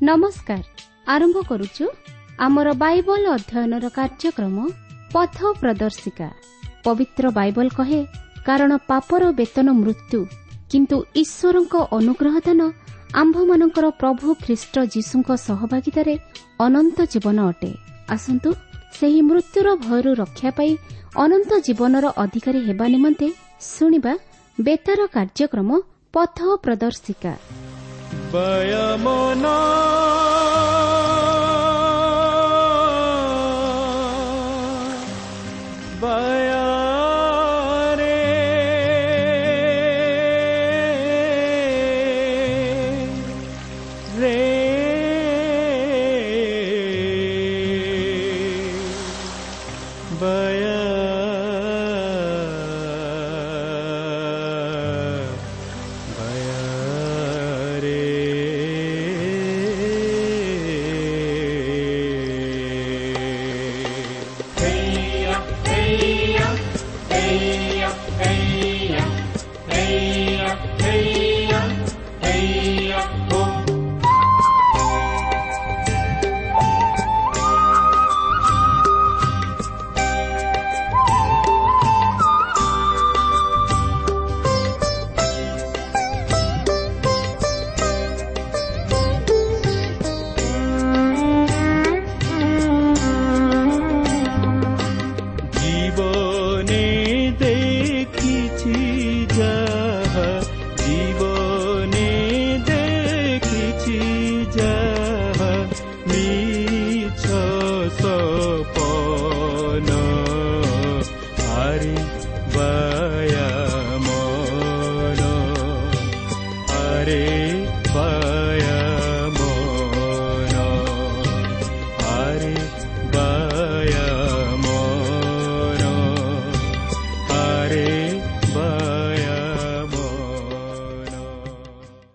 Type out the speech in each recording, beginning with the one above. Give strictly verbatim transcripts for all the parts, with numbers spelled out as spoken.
ନମସ୍କାର। ଆରମ୍ଭ କରୁଛୁ ଆମର ବାଇବଲ ଅଧ୍ୟୟନର କାର୍ଯ୍ୟକ୍ରମ ପଥ ପ୍ରଦର୍ଶିକା। ପବିତ୍ର ବାଇବଲ କହେ, କାରଣ ପାପର ବେତନ ମୃତ୍ୟୁ, କିନ୍ତୁ ଈଶ୍ୱରଙ୍କ ଅନୁଗ୍ରହ ଦାନ ଆମ୍ଭମାନଙ୍କର ପ୍ରଭୁ ଖ୍ରୀଷ୍ଟ ଯୀଶୁଙ୍କ ସହଭାଗିତାରେ ଅନନ୍ତ ଜୀବନ ଅଟେ। ଆସନ୍ତୁ ସେହି ମୃତ୍ୟୁର ଭୟରୁ ରକ୍ଷା ପାଇ ଅନନ୍ତ ଜୀବନର ଅଧିକାରୀ ହେବା ନିମନ୍ତେ ଶୁଣିବା ବେତାର କାର୍ଯ୍ୟକ୍ରମ ପଥ ପ୍ରଦର୍ଶିକା।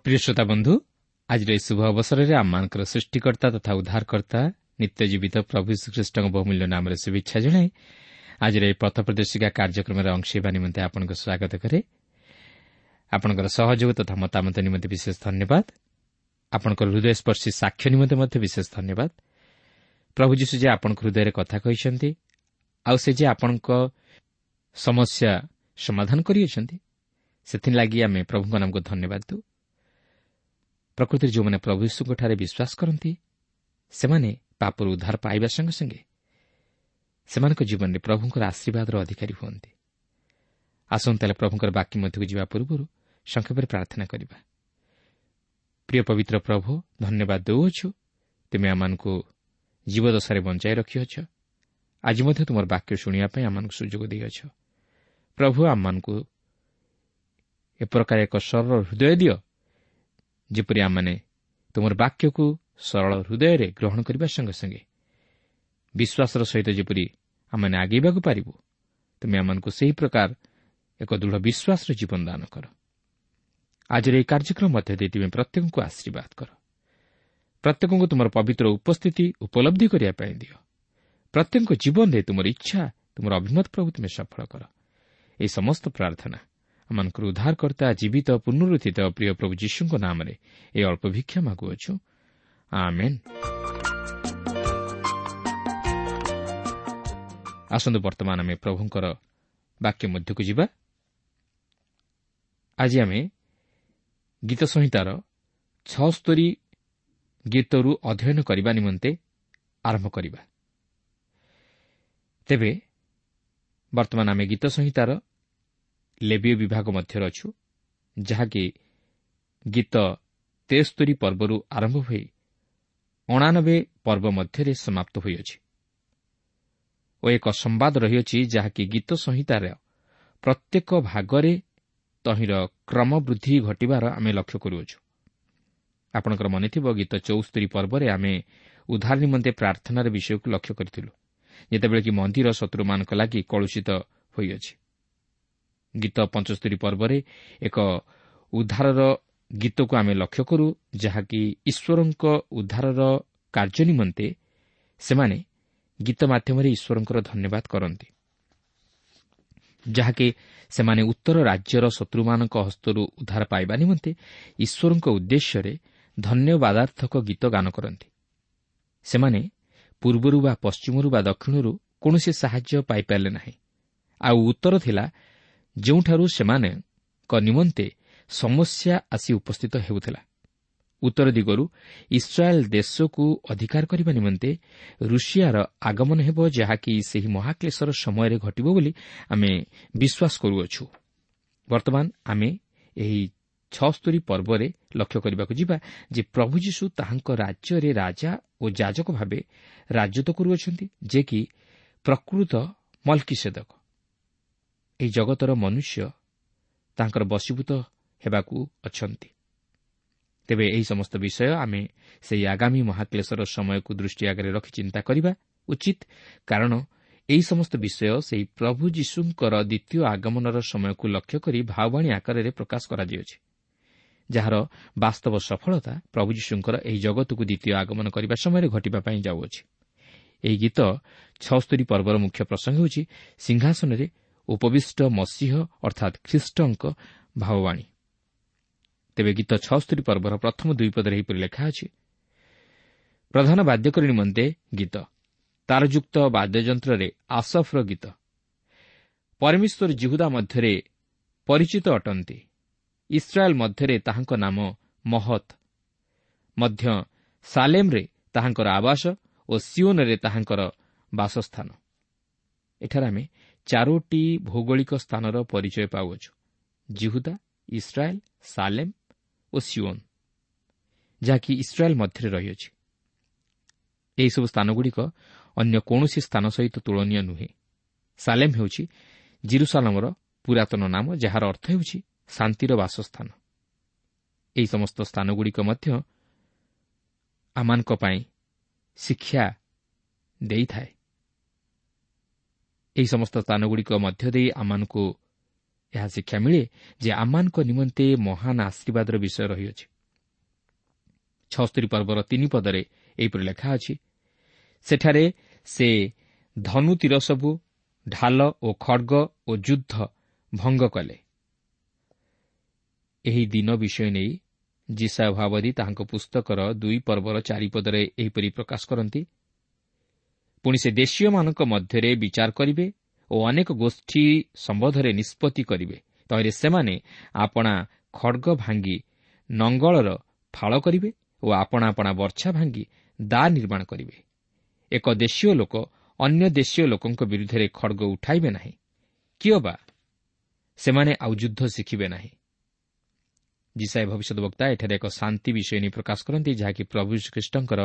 ପ୍ରିୟ ଶ୍ରୋତା ବନ୍ଧୁ, ଆଜିର ଏହି ଶୁଭ ଅବସରରେ ଆମମାନଙ୍କର ସୃଷ୍ଟିକର୍ତ୍ତା ତଥା ଉଦ୍ଧାରକର୍ତ୍ତା ନିତ୍ୟ ଜୀବିତ ପ୍ରଭୁ ଯୀଶୁଖ୍ରୀଷ୍ଟଙ୍କ ବହୁମୂଲ୍ୟ ନାମରେ ଶୁଭେଚ୍ଛା ଜଣାଇ ଆଜିର ଏହି ପଥ ପ୍ରଦର୍ଶିକା କାର୍ଯ୍ୟକ୍ରମରେ ଅଂଶ ହେବା ନିମନ୍ତେ ଆପଣଙ୍କୁ ସ୍ୱାଗତ କରେ। ଆପଣଙ୍କର ସହଯୋଗ ତଥା ମତାମତ ନିମନ୍ତେ ବିଶେଷ ଧନ୍ୟବାଦ। ଆପଣଙ୍କର ହୃଦୟସ୍ପର୍ଶୀ ସାକ୍ଷ୍ୟ ନିମନ୍ତେ ମଧ୍ୟ ବିଶେଷ ଧନ୍ୟବାଦ। ପ୍ରଭୁ ଯୀଶୁ ଯେ ଆପଣଙ୍କ ହୃଦୟରେ କଥା କହିଛନ୍ତି ଆଉ ସେ ଯେ ଆପଣଙ୍କ ସମସ୍ୟା ସମାଧାନ କରିଅଛନ୍ତି, ସେଥିଲାଗି ଆମେ ପ୍ରଭୁଙ୍କ ନାମକୁ ଧନ୍ୟବାଦ ଦେଉ। ପ୍ରକୃତିରେ ଯେଉଁମାନେ ପ୍ରଭୁ ଯୀଶୁଙ୍କଠାରେ ବିଶ୍ୱାସ କରନ୍ତି, ସେମାନେ ପାପରୁ ଉଦ୍ଧାର ପାଇବା ସଙ୍ଗେ ସଙ୍ଗେ ସେମାନଙ୍କ ଜୀବନରେ ପ୍ରଭୁଙ୍କର ଆଶୀର୍ବାଦର ଅଧିକାରୀ ହୁଅନ୍ତି। ଆସନ୍ତୁ ତାହେଲେ ପ୍ରଭୁଙ୍କର ବାକ୍ୟ ମଧ୍ୟକୁ ଯିବା ପୂର୍ବରୁ ସଂକ୍ଷେପରେ ପ୍ରାର୍ଥନା କରିବା। ପ୍ରିୟ ପବିତ୍ର ପ୍ରଭୁ, ଧନ୍ୟବାଦ ଦେଉଅଛୁ, ତୁମେ ଆମମାନଙ୍କୁ ଜୀବଦଶାରେ ବଞ୍ଚାଇ ରଖିଅଛ। ଆଜି ମଧ୍ୟ ତୁମର ବାକ୍ୟ ଶୁଣିବା ପାଇଁ ଆମମାନଙ୍କୁ ସୁଯୋଗ ଦେଇଅଛ। ପ୍ରଭୁ, ଆମମାନଙ୍କୁ ଏ ପ୍ରକାର ଏକ ସରଳ ହୃଦୟ ଦିଅ, ଯେପରି ଆମମାନେ ତୁମର ବାକ୍ୟକୁ ସରଳ ହୃଦୟରେ ଗ୍ରହଣ କରିବା ସଙ୍ଗେ ସଙ୍ଗେ ବିଶ୍ୱାସର ସହିତ ଯେପରି ଆମମାନେ ଆଗେଇବାକୁ ପାରିବୁ, ତୁମେ ଆମମାନଙ୍କୁ ସେହି ପ୍ରକାର ଏକ ଦୃଢ଼ ବିଶ୍ୱାସର ଜୀବନ ଦାନ କର। ଆଜିର ଏହି କାର୍ଯ୍ୟକ୍ରମ ମଧ୍ୟ ଦେଇ ତୁମେ ପ୍ରତ୍ୟେକଙ୍କୁ ଆଶୀର୍ବାଦ କର। ପ୍ରତ୍ୟେକଙ୍କୁ ତୁମର ପବିତ୍ର ଉପସ୍ଥିତି ଉପଲବ୍ଧି କରିବା ପାଇଁ ଦିଅ। ପ୍ରତ୍ୟେକଙ୍କ ଜୀବନରେ ତୁମର ଇଚ୍ଛା, ତୁମର ଅଭିମତ ପ୍ରଭୁ ତୁମେ ସଫଳ କର। ଏହି ସମସ୍ତ ପ୍ରାର୍ଥନା ଆମମାନଙ୍କର ଉଦ୍ଧାରକର୍ତ୍ତା ଜୀବିତ ପୁନରୁତ୍ଥିତ ପ୍ରିୟ ପ୍ରଭୁ ଯୀଶୁଙ୍କ ନାମରେ ଏହି ଅଳ୍ପ ଭିକ୍ଷା ମାଗୁଅଛୁ, ଆମେନ୍। ଆସନ୍ତୁ ବର୍ତ୍ତମାନ ଆମେ ପ୍ରଭୁଙ୍କର ବାକ୍ୟ ମଧ୍ୟକୁ ଯିବା। ଆଜି ଆମେ ଗୀତ ସଂହିତାର ଛଅସ୍ତରୀ ଗୀତରୁ ଅଧ୍ୟୟନ କରିବା ନିମନ୍ତେ ଆରମ୍ଭ କରିବା। ତେବେ ବର୍ତ୍ତମାନ ଆମେ ଗୀତ ସଂହିତାର ଲେବୀୟ ବିଭାଗ ମଧ୍ୟରେ ଅଛୁ, ଯାହାକି ଗୀତ ତେସ୍ତରୀ ପର୍ବରୁ ଆରମ୍ଭ ହୋଇ ଅଣାନବେ ପର୍ବ ମଧ୍ୟରେ ସମାପ୍ତ ହୋଇଅଛି ଓ ଏକ ସମ୍ବାଦ ରହିଅଛି, ଯାହାକି ଗୀତ ସଂହିତାର ପ୍ରତ୍ୟେକ ଭାଗରେ ତହିଁର କ୍ରମବୃଦ୍ଧି ଘଟିବାର ଆମେ ଲକ୍ଷ୍ୟ କରୁଅଛୁ। ଆପଣଙ୍କର ମନେଥିବ ଗୀତ ଚଉସ୍ତରୀ ପର୍ବରେ ଆମେ ଉଦ୍ଧାର ନିମନ୍ତେ ପ୍ରାର୍ଥନାର ବିଷୟକୁ ଲକ୍ଷ୍ୟ କରିଥିଲୁ, ଯେତେବେଳେ କି ମନ୍ଦିର ଶତ୍ରୁମାନଙ୍କ ଲାଗି କଳୁଷିତ ହୋଇଅଛି। ଗୀତ ପଞ୍ଚସ୍ତରୀ ପର୍ବରେ ଏକ ଉଦ୍ଧାରର ଗୀତକୁ ଆମେ ଲକ୍ଷ୍ୟ କରୁ, ଯାହାକି ଈଶ୍ୱରଙ୍କ ଉଦ୍ଧାରର କାର୍ଯ୍ୟ ନିମନ୍ତେ ସେମାନେ ଗୀତ ମାଧ୍ୟମରେ ଈଶ୍ୱରଙ୍କର ଧନ୍ୟବାଦ କରନ୍ତି, ଯାହାକି ସେମାନେ ଉତ୍ତର ରାଜ୍ୟର ଶତ୍ରୁମାନଙ୍କ ହସ୍ତରୁ ଉଦ୍ଧାର ପାଇବା ନିମନ୍ତେ ଈଶ୍ୱରଙ୍କ ଉଦ୍ଦେଶ୍ୟରେ ଧନ୍ୟବାଦାର୍ଥକ ଗୀତ ଗାନ କରନ୍ତି। ସେମାନେ ପୂର୍ବରୁ ବା ପଶ୍ଚିମରୁ ବା ଦକ୍ଷିଣରୁ କୌଣସି ସାହାଯ୍ୟ ପାଇପାରିଲେ ନାହିଁ। ଆଉ ଉତ୍ତର ଥିଲା ଯେଉଁଠାରୁ ସେମାନଙ୍କ ନିମନ୍ତେ ସମସ୍ୟା ଆସି ଉପସ୍ଥିତ ହେଉଥିଲା। ଉତ୍ତର ଦିଗରୁ ଇସ୍ରାଏଲ୍ ଦେଶକୁ ଅଧିକାର କରିବା ନିମନ୍ତେ ରୁଷିଆର ଆଗମନ ହେବ, ଯାହାକି ସେହି ମହାକ୍ଲେଶର ସମୟରେ ଘଟିବ ବୋଲି ଆମେ ବିଶ୍ୱାସ କରୁଅଛୁ। ବର୍ତ୍ତମାନ ଆମେ ଏହି ଛଅସ୍ତରୀ ପର୍ବରେ ଲକ୍ଷ୍ୟ କରିବାକୁ ଯିବା ଯେ ପ୍ରଭୁ ଯୀଶୁ ତାହାଙ୍କ ରାଜ୍ୟରେ ରାଜା ଓ ଯାଜକ ଭାବେ ରାଜତ୍ୱ କରୁଅଛନ୍ତି, ଯେ କି ପ୍ରକୃତ ମଲ୍କିସେଦକ। ଏହି ଜଗତର ମନୁଷ୍ୟ ତାଙ୍କର ବଶୀଭୂତ ହେବାକୁ ଅଛନ୍ତି। ତେବେ ଏହି ସମସ୍ତ ବିଷୟ ଆମେ ସେହି ଆଗାମୀ ମହାକ୍ଲେଶର ସମୟକୁ ଦୃଷ୍ଟି ଆଗରେ ରଖି ଚିନ୍ତା କରିବା ଉଚିତ, କାରଣ ଏହି ସମସ୍ତ ବିଷୟ ସେହି ପ୍ରଭୁ ଯୀଶୁଙ୍କର ଦ୍ୱିତୀୟ ଆଗମନର ସମୟକୁ ଲକ୍ଷ୍ୟ କରି ଭାବବାଣୀ ଆକାରରେ ପ୍ରକାଶ କରାଯାଇଅଛି, ଯାହାର ବାସ୍ତବ ସଫଳତା ପ୍ରଭୁ ଯୀଶୁଙ୍କର ଏହି ଜଗତକୁ ଦ୍ୱିତୀୟ ଆଗମନ କରିବା ସମୟରେ ଘଟିବା ପାଇଁ ଯାଉଅଛି। ଏହି ଗୀତ ଛଅସ୍ତରୀ ପର୍ବର ମୁଖ୍ୟ ପ୍ରସଙ୍ଗ ହେଉଛି ସିଂହାସନରେ ଉପବିଷ୍ଟ ମସିହ ଅର୍ଥାତ୍ ଖ୍ରୀଷ୍ଟଙ୍କ ଭାବବାଣୀ। ତେବେ ଗୀତ ଛଅସ୍ତରୀ ପର୍ବର ପ୍ରଥମ ଦୁଇ ପଦରେ ଏହିପରି ଲେଖା ଅଛି, ପ୍ରଧାନ ବାଦ୍ୟକରୀ ନିମନ୍ତେ ଗୀତ, ତାରଯୁକ୍ତ ବାଦ୍ୟଯନ୍ତ୍ରରେ ଆସଫର ଗୀତ। ପରମେଶ୍ୱର ଜିହୁଦା ମଧ୍ୟରେ ପରିଚିତ ଅଟନ୍ତି, ଇସ୍ରାଏଲ୍ ମଧ୍ୟରେ ତାହାଙ୍କ ନାମ ମହତ୍, ମଧ୍ୟ ସାଲେମ୍ରେ ତାହାଙ୍କର ଆବାସ ଓ ସିଓନରେ ତାହାଙ୍କର ବାସସ୍ଥାନ। ଏଠାରେ ଆମେ ଚାରୋଟି ଭୌଗୋଳିକ ସ୍ଥାନର ପରିଚୟ ପାଉଅଛୁ, ଜିହୁଦା, ଇସ୍ରାଏଲ୍, ସାଲେମ୍ ଓ ସିଓନ, ଯାହାକି ଇସ୍ରାଏଲ୍ ମଧ୍ୟରେ ରହିଅଛି। ଏହିସବୁ ସ୍ଥାନଗୁଡ଼ିକ ଅନ୍ୟ କୌଣସି ସ୍ଥାନ ସହିତ ତୁଳନୀୟ ନୁହେଁ। ସାଲେମ୍ ହେଉଛି ଜିରୁସାଲାମର ପୁରାତନ ନାମ, ଯାହାର ଅର୍ଥ ହେଉଛି ଶାନ୍ତିର ବାସସ୍ଥାନ। ଏହି ସମସ୍ତ ସ୍ଥାନଗୁଡ଼ିକ ମଧ୍ୟ ଆମମାନଙ୍କ ପାଇଁ ଶିକ୍ଷା ଦେଇଥାଏ। ଏହି ସମସ୍ତ ସ୍ଥାନଗୁଡ଼ିକ ମଧ୍ୟ ଦେଇ ଆମମାନଙ୍କୁ ଏହା ଶିକ୍ଷା ମିଳେ ଯେ ଆମମାନଙ୍କ ନିମନ୍ତେ ମହାନ ଆଶୀର୍ବାଦର ବିଷୟ ରହିଅଛି। ଛଅସ୍ତରୀ ପର୍ବର ତିନି ପଦରେ ଏହିପରି ଲେଖା ଅଛି, ସେଠାରେ ସେ ଧନୁ ତୀର ସବୁ, ଢାଲ ଓ ଖଡ଼ଗ ଓ ଯୁଦ୍ଧ ଭଙ୍ଗ କଲେ। ଏହି ଦିନ ବିଷୟ ନେଇ ଯିଶାଇୟ ଭାବବାଦୀ ତାହାଙ୍କ ପୁସ୍ତକର ଦୁଇ ପର୍ବର ଚାରିପଦରେ ଏହିପରି ପ୍ରକାଶ କରନ୍ତି, ପୁଣି ସେ ଦେଶୀୟମାନଙ୍କ ମଧ୍ୟରେ ବିଚାର କରିବେ ଓ ଅନେକ ଗୋଷ୍ଠୀ ସମ୍ବନ୍ଧରେ ନିଷ୍ପତ୍ତି କରିବେ। ତହିଁରେ ସେମାନେ ଆପଣା ଖଡ଼ଗ ଭାଙ୍ଗି ନଙ୍ଗଳର ଫାଳ କରିବେ ଓ ଆପଣା ଆପଣା ବର୍ଚ୍ଛା ଭାଙ୍ଗି ଦା ନିର୍ମାଣ କରିବେ। ଏକ ଦେଶୀୟ ଲୋକ ଅନ୍ୟ ଦେଶୀୟ ଲୋକଙ୍କ ବିରୁଦ୍ଧରେ ଖଡ଼ଗ ଉଠାଇବେ ନାହିଁ, କିଏ ବା ସେମାନେ ଆଉ ଯୁଦ୍ଧ ଶିଖିବେ ନାହିଁ। ଯିଶାଇୟ ଭବିଷ୍ୟଦ୍‌ବକ୍ତା ଏଠାରେ ଏକ ଶାନ୍ତି ବିଷୟ ନେଇ ପ୍ରକାଶ କରନ୍ତି, ଯାହାକି ପ୍ରଭୁ ଖ୍ରୀଷ୍ଟଙ୍କର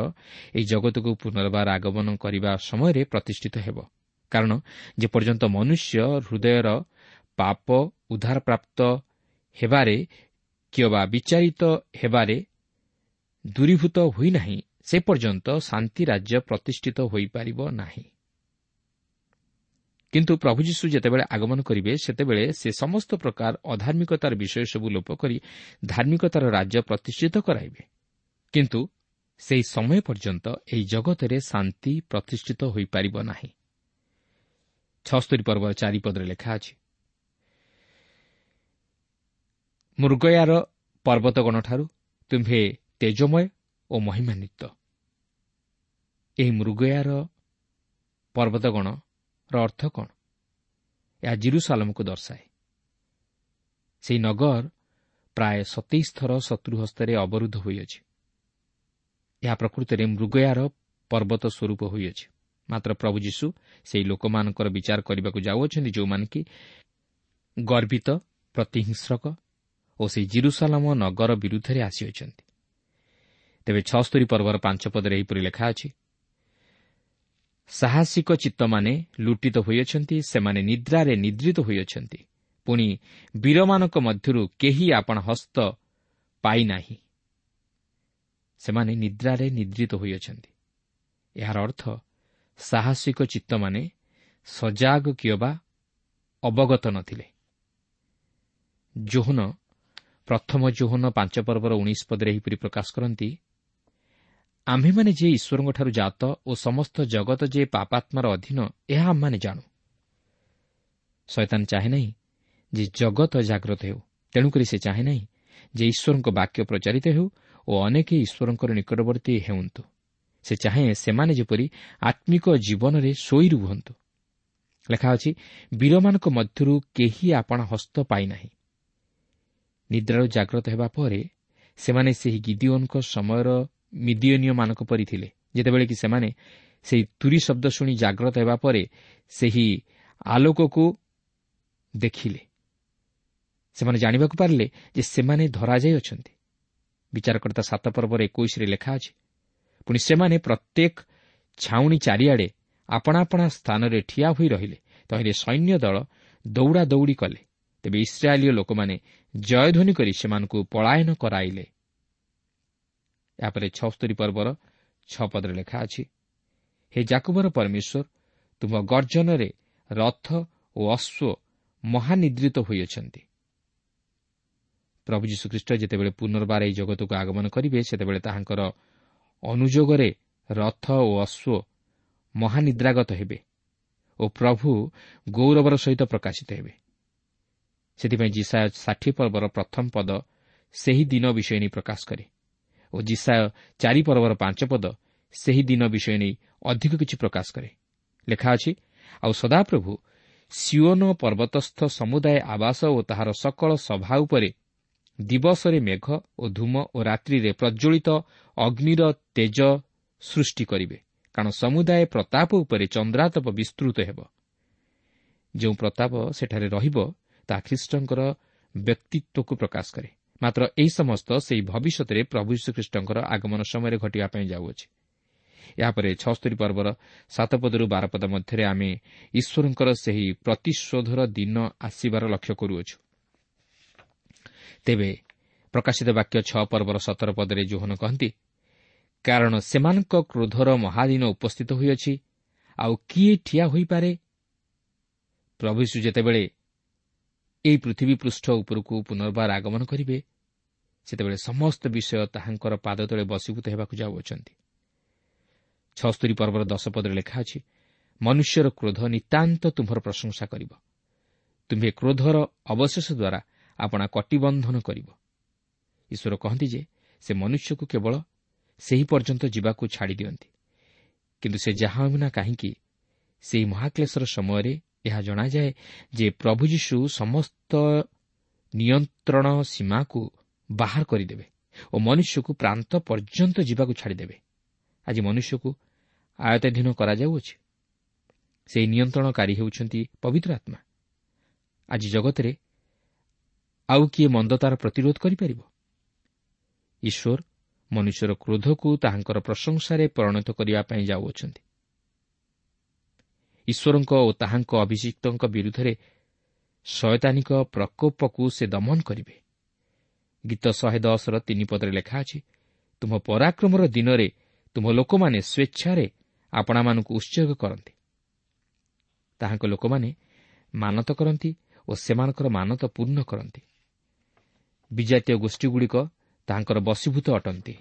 ଏହି ଜଗତକୁ ପୁନର୍ବାର ଆଗମନ କରିବା ସମୟରେ ପ୍ରତିଷ୍ଠିତ ହେବ। କାରଣ ଯେପର୍ଯ୍ୟନ୍ତ ମନୁଷ୍ୟ ହୃଦୟର ପାପ ଉଦ୍ଧାରପ୍ରାପ୍ତ ହେବାରେ କିମ୍ବା ବିଚାରିତ ହେବାରେ ଦୂରୀଭୂତ ହୋଇନାହିଁ, ସେ ପର୍ଯ୍ୟନ୍ତ ଶାନ୍ତି ରାଜ୍ୟ ପ୍ରତିଷ୍ଠିତ ହୋଇପାରିବ ନାହିଁ। କିନ୍ତୁ ପ୍ରଭୁ ଯୀଶୁ ଯେତେବେଳେ ଆଗମନ କରିବେ, ସେତେବେଳେ ସେ ସମସ୍ତ ପ୍ରକାର ଅଧାର୍ମିକତାର ବିଷୟ ସବୁ ଲୋପ କରି ଧାର୍ମିକତାର ରାଜ୍ୟ ପ୍ରତିଷ୍ଠିତ କରାଇବେ। କିନ୍ତୁ ସେହି ସମୟ ପର୍ଯ୍ୟନ୍ତ ଏହି ଜଗତରେ ଶାନ୍ତି ପ୍ରତିଷ୍ଠିତ ହୋଇପାରିବ ନାହିଁ। ଛଅସ୍ତରୀ ପର୍ବର ଚାରିପଦରେ ଲେଖା ଅଛି, ମୃଗୟାର ପର୍ବତଗଣଠାରୁ ତୁମ୍ଭେ ତେଜମୟ ଓ ମହିମାନ୍ୱିତ। ଏହି ମୃଗୟାର ପର୍ବତଗଣର ଅର୍ଥ କ'ଣ? ଏହା ଜିରୁସାଲମକୁ ଦର୍ଶାଏ। ସେହି ନଗର ପ୍ରାୟ ସତେଇଶ ଥର ଶତ୍ରୁ ହସ୍ତରେ ଅବରୁଦ୍ଧ ହୋଇଅଛି। ଏହା ପ୍ରକୃତରେ ମୃଗୟାର ପର୍ବତ ସ୍ୱରୂପ ହୋଇଅଛି। ମାତ୍ର ପ୍ରଭୁ ଯୀଶୁ ସେହି ଲୋକମାନଙ୍କର ବିଚାର କରିବାକୁ ଯାଉଅଛନ୍ତି, ଯେଉଁମାନେ କି ଗର୍ବିତ, ପ୍ରତିହିଂସ୍ରକ ଓ ସେହି ଜିରୁସାଲମ ନଗର ବିରୁଦ୍ଧରେ ଆସିଅଛନ୍ତି। ତେବେ ଛଅସ୍ତରୀ ପର୍ବର ପାଞ୍ଚ ପଦରେ ଏହିପରି ଲେଖା ଅଛି, ସାହସିକ ଚିତ୍ତମାନେ ଲୁଟିତ ହୋଇଅଛନ୍ତି, ସେମାନେ ନିଦ୍ରାରେ ନିଦ୍ରିତ ହୋଇଅଛନ୍ତି, ପୁଣି ବୀରମାନଙ୍କ ମଧ୍ୟରୁ କେହି ଆପଣା ହସ୍ତ ପାଇନାହିଁ। ସେମାନେ ନିଦ୍ରାରେ ନିଦ୍ରିତ ହୋଇଅଛନ୍ତି। ଏହାର ଅର୍ଥ ସାହସିକ ଚିତ୍ତମାନେ ସଜାଗ କିମ୍ବା ଅବଗତ ନଥିଲେ। ଯୋହନ ପ୍ରଥମ ଯୋହନ ପାଞ୍ଚ ପର୍ବର ଉଣେଇଶ ପଦରେ ଏହିପରି ପ୍ରକାଶ କରନ୍ତି, ଆମ୍ଭେମାନେ ଯେ ଈଶ୍ୱରଙ୍କଠାରୁ ଜାତ ଓ ସମସ୍ତ ଜଗତ ଯେ ପାପାତ୍ମାର ଅଧୀନ, ଏହା ଆମମାନେ ଜାଣୁ। ଶୟତାନ ଚାହେଁ ନାହିଁ ଯେ ଜଗତ ଜାଗ୍ରତ ହେଉ, ତେଣୁକରି ସେ ଚାହେଁ ନାହିଁ ଯେ ଈଶ୍ୱରଙ୍କ ବାକ୍ୟ ପ୍ରଚାରିତ ହେଉ ଓ ଅନେକ ଈଶ୍ୱରଙ୍କର ନିକଟବର୍ତ୍ତୀ ହେଉନ୍ତୁ। ସେ ଚାହେଁ ସେମାନେ ଯେପରି ଆତ୍ମିକ ଜୀବନରେ ଶୋଇ ରୁହନ୍ତୁ। ଲେଖା ଅଛି, ବୀରମାନଙ୍କ ମଧ୍ୟରୁ କେହି ଆପଣା ହସ୍ତ ପାଇନାହିଁ। ନିଦ୍ରାରୁ ଜାଗ୍ରତ ହେବା ପରେ ସେମାନେ ସେହି ଗିଦିଓନଙ୍କ ସମୟର ମିଦିଓନୀୟମାନଙ୍କ ପରି ଥିଲେ, ଯେତେବେଳେ କି ସେମାନେ ସେହି ତୁରୀ ଶବ୍ଦ ଶୁଣି ଜାଗ୍ରତ ହେବା ପରେ ସେହି ଆଲୋକକୁ ଦେଖିଲେ। ସେମାନେ ଜାଣିବାକୁ ପାରିଲେ ଯେ ସେମାନେ ଧରାଯାଇଅଛନ୍ତି। ବିଚାରକର୍ତ୍ତା ସାତ ପର୍ବର ଏକୋଇଶରେ ଲେଖା ଅଛି, ପୁଣି ସେମାନେ ପ୍ରତ୍ୟେକ ଛାଉଣି ଚାରିଆଡ଼େ ଆପଣା ଆପଣା ସ୍ଥାନରେ ଠିଆ ହୋଇ ରହିଲେ, ତହିଁରେ ସୈନ୍ୟ ଦଳ ଦୌଡ଼ା ଦୌଡ଼ି କଲେ। ତେବେ ଇସ୍ରାଏଲୀୟ ଲୋକମାନେ ଜୟଧ୍ୱନି କରି ସେମାନଙ୍କୁ ପଳାୟନ କରାଇଲେ। ଏହାପରେ ଛଅସ୍ତରୀ ପର୍ବର ଛଅ ପଦରେ ଲେଖା ଅଛି, ହେ ଯାକୁବର ପରମେଶ୍ୱର, ତୁମ ଗର୍ଜନରେ ରଥ ଓ ଅଶ୍ୱ ମହାନିଦ୍ରିତ ହୋଇଅଛନ୍ତି। ପ୍ରଭୁ ଯୀଶୁଖ୍ରୀଷ୍ଟ ଯେତେବେଳେ ପୁନର୍ବାର ଏହି ଜଗତକୁ ଆଗମନ କରିବେ, ସେତେବେଳେ ତାହାଙ୍କର ଅନୁଯୋଗରେ ରଥ ଓ ଅଶ୍ୱ ମହାନିଦ୍ରାଗତ ହେବେ ଓ ପ୍ରଭୁ ଗୌରବର ସହିତ ପ୍ରକାଶିତ ହେବେ। ସେଥିପାଇଁ ଯିଶାଇୟ ଷାଠିଏ ପର୍ବର ପ୍ରଥମ ପଦ ସେହି ଦିନ ବିଷୟ ନେଇ ପ୍ରକାଶ କରେ ଓ ଯିଶାଇୟ ଚାରି ପର୍ବର ପାଞ୍ଚ ପଦ ସେହି ଦିନ ବିଷୟ ନେଇ ଅଧିକ କିଛି ପ୍ରକାଶ କରେ। ଲେଖା ଅଛି, ଆଉ ସଦାପ୍ରଭୁ ସିଓନ ପର୍ବତସ୍ଥ ସମୁଦାୟ ଆବାସ ଓ ତାହାର ସକଳ ସଭା ଉପରେ ଦିବସରେ ମେଘ ଓ ଧୂମ ଓ ରାତ୍ରିରେ ପ୍ରଜ୍ୱଳିତ ଅଗ୍ନିର ତେଜ ସୃଷ୍ଟି କରିବେ, କାରଣ ସମୁଦାୟ ପ୍ରତାପ ଉପରେ ଚନ୍ଦ୍ରାତପ ବିସ୍ତୃତ ହେବ। ଯେଉଁ ପ୍ରତାପ ସେଠାରେ ରହିବ ତାହା ଖ୍ରୀଷ୍ଟଙ୍କର ବ୍ୟକ୍ତିତ୍ୱକୁ ପ୍ରକାଶ କରେ। ମାତ୍ର ଏହି ସମସ୍ତ ସେହି ଭବିଷ୍ୟତରେ ପ୍ରଭୁ ଯୀଶୁଖ୍ରୀଷ୍ଟଙ୍କର ଆଗମନ ସମୟରେ ଘଟିବା ପାଇଁ ଯାଉଅଛି। ଏହାପରେ ଛଅସ୍ତରୀ ପର୍ବର ସାତ ପଦରୁ ବାର ପଦ ମଧ୍ୟରେ ଆମେ ଈଶ୍ୱରଙ୍କର ସେହି ପ୍ରତିଶୋଧର ଦିନ ଆସିବାର ଲକ୍ଷ୍ୟ କରୁଅଛୁ। ତେବେ ପ୍ରକାଶିତ ବାକ୍ୟ ଛଅ ପର୍ବର ସତର ପଦରେ ଯୋହନ କହନ୍ତି, କାରଣ ସେମାନଙ୍କ କ୍ରୋଧର ମହାଦିନ ଉପସ୍ଥିତ ହୋଇଅଛି, ଆଉ କିଏ ଠିଆ ହୋଇପାରେ? ପ୍ରଭୁ ଯୀଶୁ ଯେତେବେଳେ ଏହି ପୃଥିବୀ ପୃଷ୍ଠ ଉପରକୁ ପୁନର୍ବାର ଆଗମନ କରିବେ, ସେତେବେଳେ ସମସ୍ତ ବିଷୟ ତାହାଙ୍କର ପାଦ ତଳେ ବଶୀଭୂତ ହେବାକୁ ଯାଉଅଛନ୍ତି। ଛଅସ୍ତରୀ ପର୍ବର ଦଶ ପଦରେ ଲେଖା ଅଛି, ମନୁଷ୍ୟର କ୍ରୋଧ ନିତାନ୍ତ ତୁମ୍ଭର ପ୍ରଶଂସା କରିବ, ତୁମ୍ଭେ କ୍ରୋଧର ଅବଶେଷ ଦ୍ୱାରା ଆପଣା କଟିବନ୍ଧନ କରିବ। ଈଶ୍ୱର କହନ୍ତି ଯେ ସେ ମନୁଷ୍ୟକୁ କେବଳ ସେହି ପର୍ଯ୍ୟନ୍ତ ଯିବାକୁ ଛାଡ଼ି ଦିଅନ୍ତି, କିନ୍ତୁ ସେ ଯାହା ହେଉନା କାହିଁକି ସେହି ମହାକ୍ଲେଶର ସମୟରେ ଏହା ଜଣାଯାଏ ଯେ ପ୍ରଭୁ ଯୀଶୁ ସମସ୍ତ ନିୟନ୍ତ୍ରଣ ସୀମାକୁ ବାହାର କରିଦେବେ ଓ ମନୁଷ୍ୟକୁ ପ୍ରାନ୍ତ ପର୍ଯ୍ୟନ୍ତ ଯିବାକୁ ଛାଡ଼ିଦେବେ। ଆଜି ମନୁଷ୍ୟକୁ ଆୟତ୍ତାଧୀନ କରାଯାଉଅଛି। ସେହି ନିୟନ୍ତ୍ରଣକାରୀ ହେଉଛନ୍ତି ପବିତ୍ର ଆତ୍ମା। ଆଜି ଜଗତରେ ଆଉ କିଏ ମନ୍ଦତାର ପ୍ରତିରୋଧ କରିପାରିବ? ଈଶ୍ୱର ମନୁଷ୍ୟର କ୍ରୋଧକୁ ତାହାଙ୍କର ପ୍ରଶଂସାରେ ପରିଣତ କରିବା ପାଇଁ ଯାଉଅଛନ୍ତି। ଈଶ୍ୱରଙ୍କ ଓ ତାହାଙ୍କ ଅଭିଷିକ୍ତଙ୍କ ବିରୁଦ୍ଧରେ ଶୟତାନିକ ପ୍ରକୋପକୁ ସେ ଦମନ କରିବେ। ଗୀତ ଶହେ ଦଶର ତିନି ପଦରେ ଲେଖା ଅଛି, ତୁମ ପରାକ୍ରମର ଦିନରେ ତୁମ ଲୋକମାନେ ସ୍ୱେଚ୍ଛାରେ ଆପଣାମାନଙ୍କୁ ଉତ୍ସର୍ଗ କରନ୍ତି। ତାହାଙ୍କ ଲୋକମାନେ ମାନତ କରନ୍ତି ଓ ସେମାନଙ୍କର ମାନତ ପୂର୍ଣ୍ଣ କରନ୍ତି। ବିଜାତୀୟ ଗୋଷ୍ଠୀଗୁଡ଼ିକ ତାହାଙ୍କର ବଶୀଭୂତ ଅଟନ୍ତି।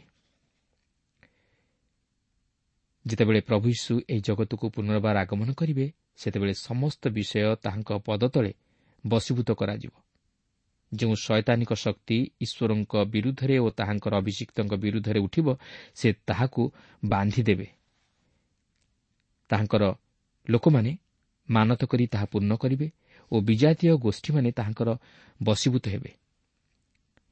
ଯେତେବେଳେ ପ୍ରଭୁ ଯୀଶୁ ଏହି ଜଗତକୁ ପୁନର୍ବାର ଆଗମନ କରିବେ, ସେତେବେଳେ ସମସ୍ତ ବିଷୟ ତାହାଙ୍କ ପଦତଳେ ବଶୀଭୂତ କରାଯିବ। ଯେଉଁ ଶୟତାନିକ ଶକ୍ତି ଈଶ୍ୱରଙ୍କ ବିରୁଦ୍ଧରେ ଓ ତାହାଙ୍କର ଅଭିଷିକ୍ତଙ୍କ ବିରୁଦ୍ଧରେ ଉଠିବ, ସେ ତାହାକୁ ବାନ୍ଧିଦେବେ। ତାହାଙ୍କର ଲୋକମାନେ ମାନତ କରି ତାହା ପୂର୍ଣ୍ଣ କରିବେ ଓ ବିଜାତୀୟ ଗୋଷ୍ଠୀମାନେ ତାହାଙ୍କର ବଶୀଭୂତ ହେବେ।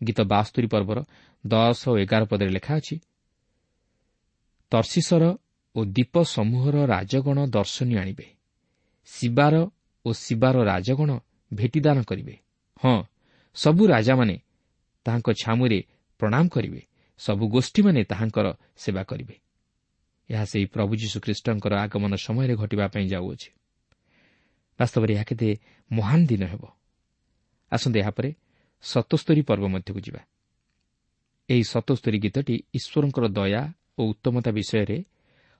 ଗୀତ ବାସ୍ତରୀ ପର୍ବର ଦଶ ଓ ଏଗାର ପଦରେ ଲେଖା ଅଛି, ତର୍ଶୀଶର ଓ ଦ୍ୱୀପ ସମୂହର ରାଜଗଣ ଦର୍ଶନୀ ଆଣିବେ, ଶିବାର ଓ ଶିବାର ରାଜଗଣ ଭେଟିଦାନ କରିବେ। ହଁ, ସବୁ ରାଜାମାନେ ତାହାଙ୍କ ଛାମୁରେ ପ୍ରଣାମ କରିବେ, ସବୁ ଗୋଷ୍ଠୀମାନେ ତାହାଙ୍କର ସେବା କରିବେ। ଏହା ସେହି ପ୍ରଭୁ ଯୀଶୁଖ୍ରୀଷ୍ଟଙ୍କର ଆଗମନ ସମୟରେ ଘଟିବା ପାଇଁ ଯାଉଅଛି। ବାସ୍ତବରେ ଏହା କେତେ ମହାନ ଦିନ ହେବ। ଆସନ୍ତୁ ଏହାପରେ ସତସ୍ତରୀ ପର୍ବ ମଧ୍ୟକୁ ଯିବା। ଏହି ସତସ୍ତରୀ ଗୀତଟି ଈଶ୍ୱରଙ୍କର ଦୟା ଓ ଉତ୍ତମତା ବିଷୟରେ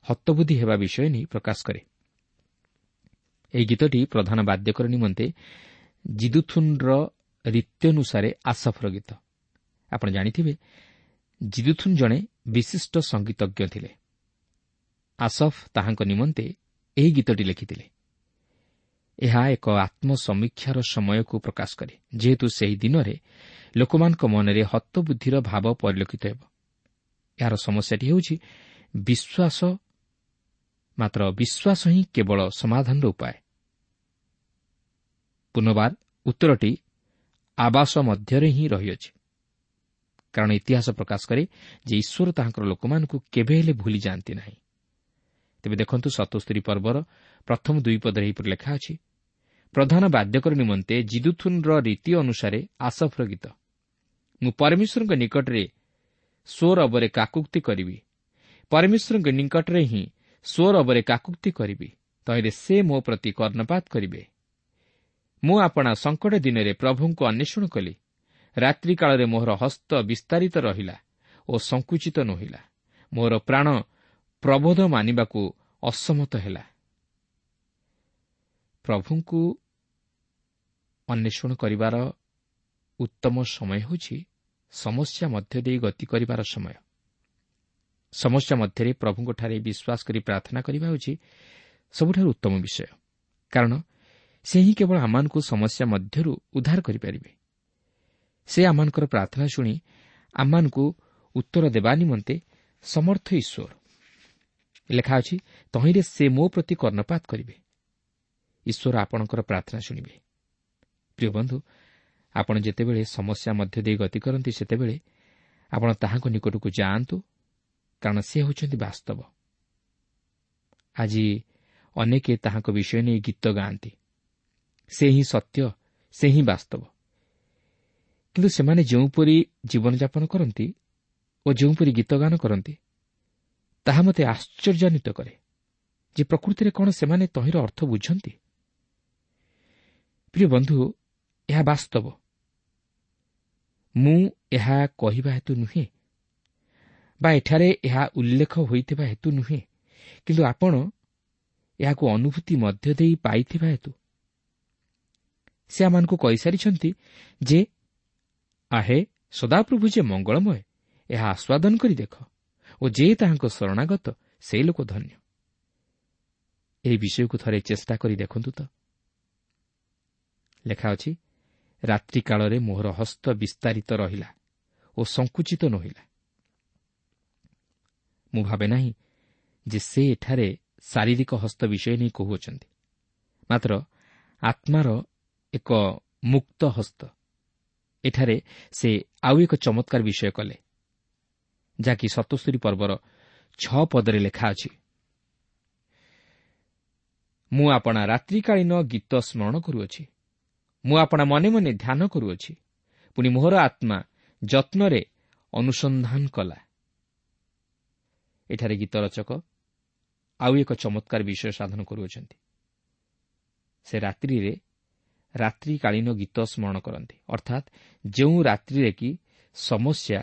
ହତବୁଦ୍ଧି ହେବା ବିଷୟ ନେଇ ପ୍ରକାଶ କରେ। ଏହି ଗୀତଟି ପ୍ରଧାନ ବାଦ୍ୟକର ନିମନ୍ତେ ଜିଦୁଥୁନ୍ର ରୀତ୍ୟନୁସାରେ ଆସଫର ଗୀତ। ଆପଣ ଜାଣିଥିବେ ଜିଦୁଥୁନ୍ ଜଣେ ବିଶିଷ୍ଟ ସଙ୍ଗୀତଜ୍ଞ ଥିଲେ। ଆସଫ ତାହାଙ୍କ ନିମନ୍ତେ ଏହି ଗୀତଟି ଲେଖିଥିଲେ। ଏହା ଏକ ଆତ୍ମସମୀକ୍ଷାର ସମୟକୁ ପ୍ରକାଶ କରେ, ଯେହେତୁ ସେହି ଦିନରେ ଲୋକମାନଙ୍କ ମନରେ ହତବୁଦ୍ଧିର ଭାବ ପରିଲକ୍ଷିତ ହେବ। ଏହାର ସମସ୍ୟାଟି ହେଉଛି ବିଶ୍ୱାସ, ମାତ୍ର ବିଶ୍ୱାସ ହିଁ କେବଳ ସମାଧାନର ଉପାୟ। ପୁନର୍ବାର ଉତ୍ତରଟି ଆବାସ ମଧ୍ୟରେ ହିଁ ରହିଅଛି, କାରଣ ଇତିହାସ ପ୍ରକାଶ କରେ ଯେ ଈଶ୍ୱର ତାହାଙ୍କର ଲୋକମାନଙ୍କୁ କେବେ ହେଲେ ଭୁଲି ଯାଆନ୍ତି ନାହିଁ। ତେବେ ଦେଖନ୍ତୁ, ସତସ୍ତରୀ ପର୍ବର ପ୍ରଥମ ଦୁଇ ପଦରେ ଏହିପରି ଲେଖା ଅଛି, ପ୍ରଧାନ ବାଦ୍ୟକର ନିମନ୍ତେ ଜିଦୁଥୁନ୍ର ରୀତି ଅନୁସାରେ ଆସଫର ଗୀତ। ମୁଁ ପରମେଶ୍ୱରଙ୍କ ନିକଟରେ ସ୍ୱରବରେ କାକୁକ୍ତି କରିବି, ପରମେଶ୍ୱରଙ୍କ ନିକଟରେ ହିଁ ସ୍ୱରବରେ କାକୁକ୍ତି କରିବି, ତହିଁରେ ସେ ମୋ ପ୍ରତି କର୍ଣ୍ଣପାତ କରିବେ। ମୁଁ ଆପଣା ସଙ୍କଟ ଦିନରେ ପ୍ରଭୁଙ୍କୁ ଅନ୍ୱେଷଣ କଲି, ରାତ୍ରିକାଳରେ ମୋହର ହସ୍ତ ବିସ୍ତାରିତ ରହିଲା ଓ ସଙ୍କୁଚିତ ନୋହିଲା, ମୋର ପ୍ରାଣ ପ୍ରବୋଧ ମାନିବାକୁ ଅସମତ ହେଲା। ପ୍ରଭୁଙ୍କୁ ଅନ୍ୱେଷଣ କରିବାର ଉତ୍ତମ ସମୟ ହେଉଛି ସମସ୍ୟା ମଧ୍ୟ ଦେଇ ଗତି କରିବାର ସମୟ। ସମସ୍ୟା ମଧ୍ୟରେ ପ୍ରଭୁଙ୍କଠାରେ ବିଶ୍ୱାସ କରି ପ୍ରାର୍ଥନା କରିବା ହେଉଛି ସବୁଠାରୁ ଉତ୍ତମ ବିଷୟ, କାରଣ ସେ ହିଁ କେବଳ ଆମମାନଙ୍କୁ ସମସ୍ୟା ମଧ୍ୟରୁ ଉଦ୍ଧାର କରିପାରିବେ। ସେ ଆମମାନଙ୍କର ପ୍ରାର୍ଥନା ଶୁଣି ଆମମାନଙ୍କୁ ଉତ୍ତର ଦେବା ନିମନ୍ତେ ସମର୍ଥ ଈଶ୍ୱର। ଲେଖା ଅଛି, ତହିଁରେ ସେ ମୋ ପ୍ରତି କର୍ଣ୍ଣପାତ କରିବେ। ଈଶ୍ୱର ଆପଣଙ୍କର ପ୍ରାର୍ଥନା ଶୁଣିବେ। ପ୍ରିୟ ବନ୍ଧୁ, ଆପଣ ଯେତେବେଳେ ସମସ୍ୟା ମଧ୍ୟ ଦେଇ ଗତି କରନ୍ତି, ସେତେବେଳେ ଆପଣ ତାହାଙ୍କ ନିକଟକୁ ଯାଆନ୍ତୁ, କାରଣ ସେ ହେଉଛନ୍ତି ବାସ୍ତବ। ଆଜି ଅନେକେ ତାହାଙ୍କ ବିଷୟ ନେଇ ଗୀତ ଗାଆନ୍ତି, ସେ ହିଁ ସତ୍ୟ, ସେ ହିଁ ବାସ୍ତବ। କିନ୍ତୁ ସେମାନେ ଯେଉଁପରି ଜୀବନଯାପନ କରନ୍ତି ଓ ଯେଉଁପରି ଗୀତ ଗାନ କରନ୍ତି, ତାହା ମୋତେ ଆଶ୍ଚର୍ଯ୍ୟାନ୍ୱିତ କରେ ଯେ ପ୍ରକୃତିରେ କ'ଣ ସେମାନେ ତହିଁର ଅର୍ଥ ବୁଝନ୍ତି। ପ୍ରିୟ ବନ୍ଧୁ, ଏହା ବାସ୍ତବ। ମୁଁ ଏହା କହିବା ହେତୁ ନୁହେଁ ବା ଏଠାରେ ଏହା ଉଲ୍ଲେଖ ହୋଇଥିବା ହେତୁ ନୁହେଁ, କିନ୍ତୁ ଆପଣ ଏହାକୁ ଅନୁଭୂତି ମଧ୍ୟ ଦେଇ ପାଇଥିବା ହେତୁ। ସେ ଆମମାନଙ୍କୁ କହିସାରିଛନ୍ତି ଯେ ଆହେ, ସଦାପ୍ରଭୁ ଯେ ମଙ୍ଗଳମୟ, ଏହା ଆସ୍ୱାଦନ କରି ଦେଖ, ଓ ଯେ ତାହାଙ୍କ ଶରଣାଗତ ସେ ଲୋକ ଧନ୍ୟ। ଏହି ବିଷୟକୁ ଥରେ ଚେଷ୍ଟା କରି ଦେଖନ୍ତୁ ତ। ଲେଖା ଅଛି, ରାତ୍ରିକାଳରେ ମୋହର ହସ୍ତ ବିସ୍ତାରିତ ରହିଲା ଓ ସଙ୍କୁଚିତ ନୋହିଲା। ମୁଁ ଭାବେ ନାହିଁ ଯେ ସେ ଏଠାରେ ଶାରୀରିକ ହସ୍ତ ବିଷୟ ନେଇ କହୁଅଛନ୍ତି, ମାତ୍ର ଆତ୍ମାର ଏକ ମୁକ୍ତ ହସ୍ତ। ଏଠାରେ ସେ ଆଉ ଏକ ଚମତ୍କାର ବିଷୟ କଲେ, ଯାହାକି ସତସ୍ତରୀ ପର୍ବର ଛଅ ପଦରେ ଲେଖା ଅଛି, ମୁଁ ଆପଣା ରାତ୍ରିକାଳୀନ ଗୀତ ସ୍ମରଣ କରୁଅଛି, ମୁଁ ଆପଣା ମନେ ମନେ ଧ୍ୟାନ କରୁଅଛି, ପୁଣି ମୋହର ଆତ୍ମା ଯତ୍ନରେ ଅନୁସନ୍ଧାନ କଲା। ଏଠାରେ ଗୀତ ରଚକ ଆଉ ଏକ ଚମତ୍କାର ବିଷୟ ସାଧନ କରୁଅଛନ୍ତି। ସେ ରାତ୍ରିରେ ରାତ୍ରିକାଳୀନ ଗୀତ ସ୍ମରଣ କରନ୍ତି, ଅର୍ଥାତ୍ ଯେଉଁ ରାତ୍ରିରେ କି ସମସ୍ୟା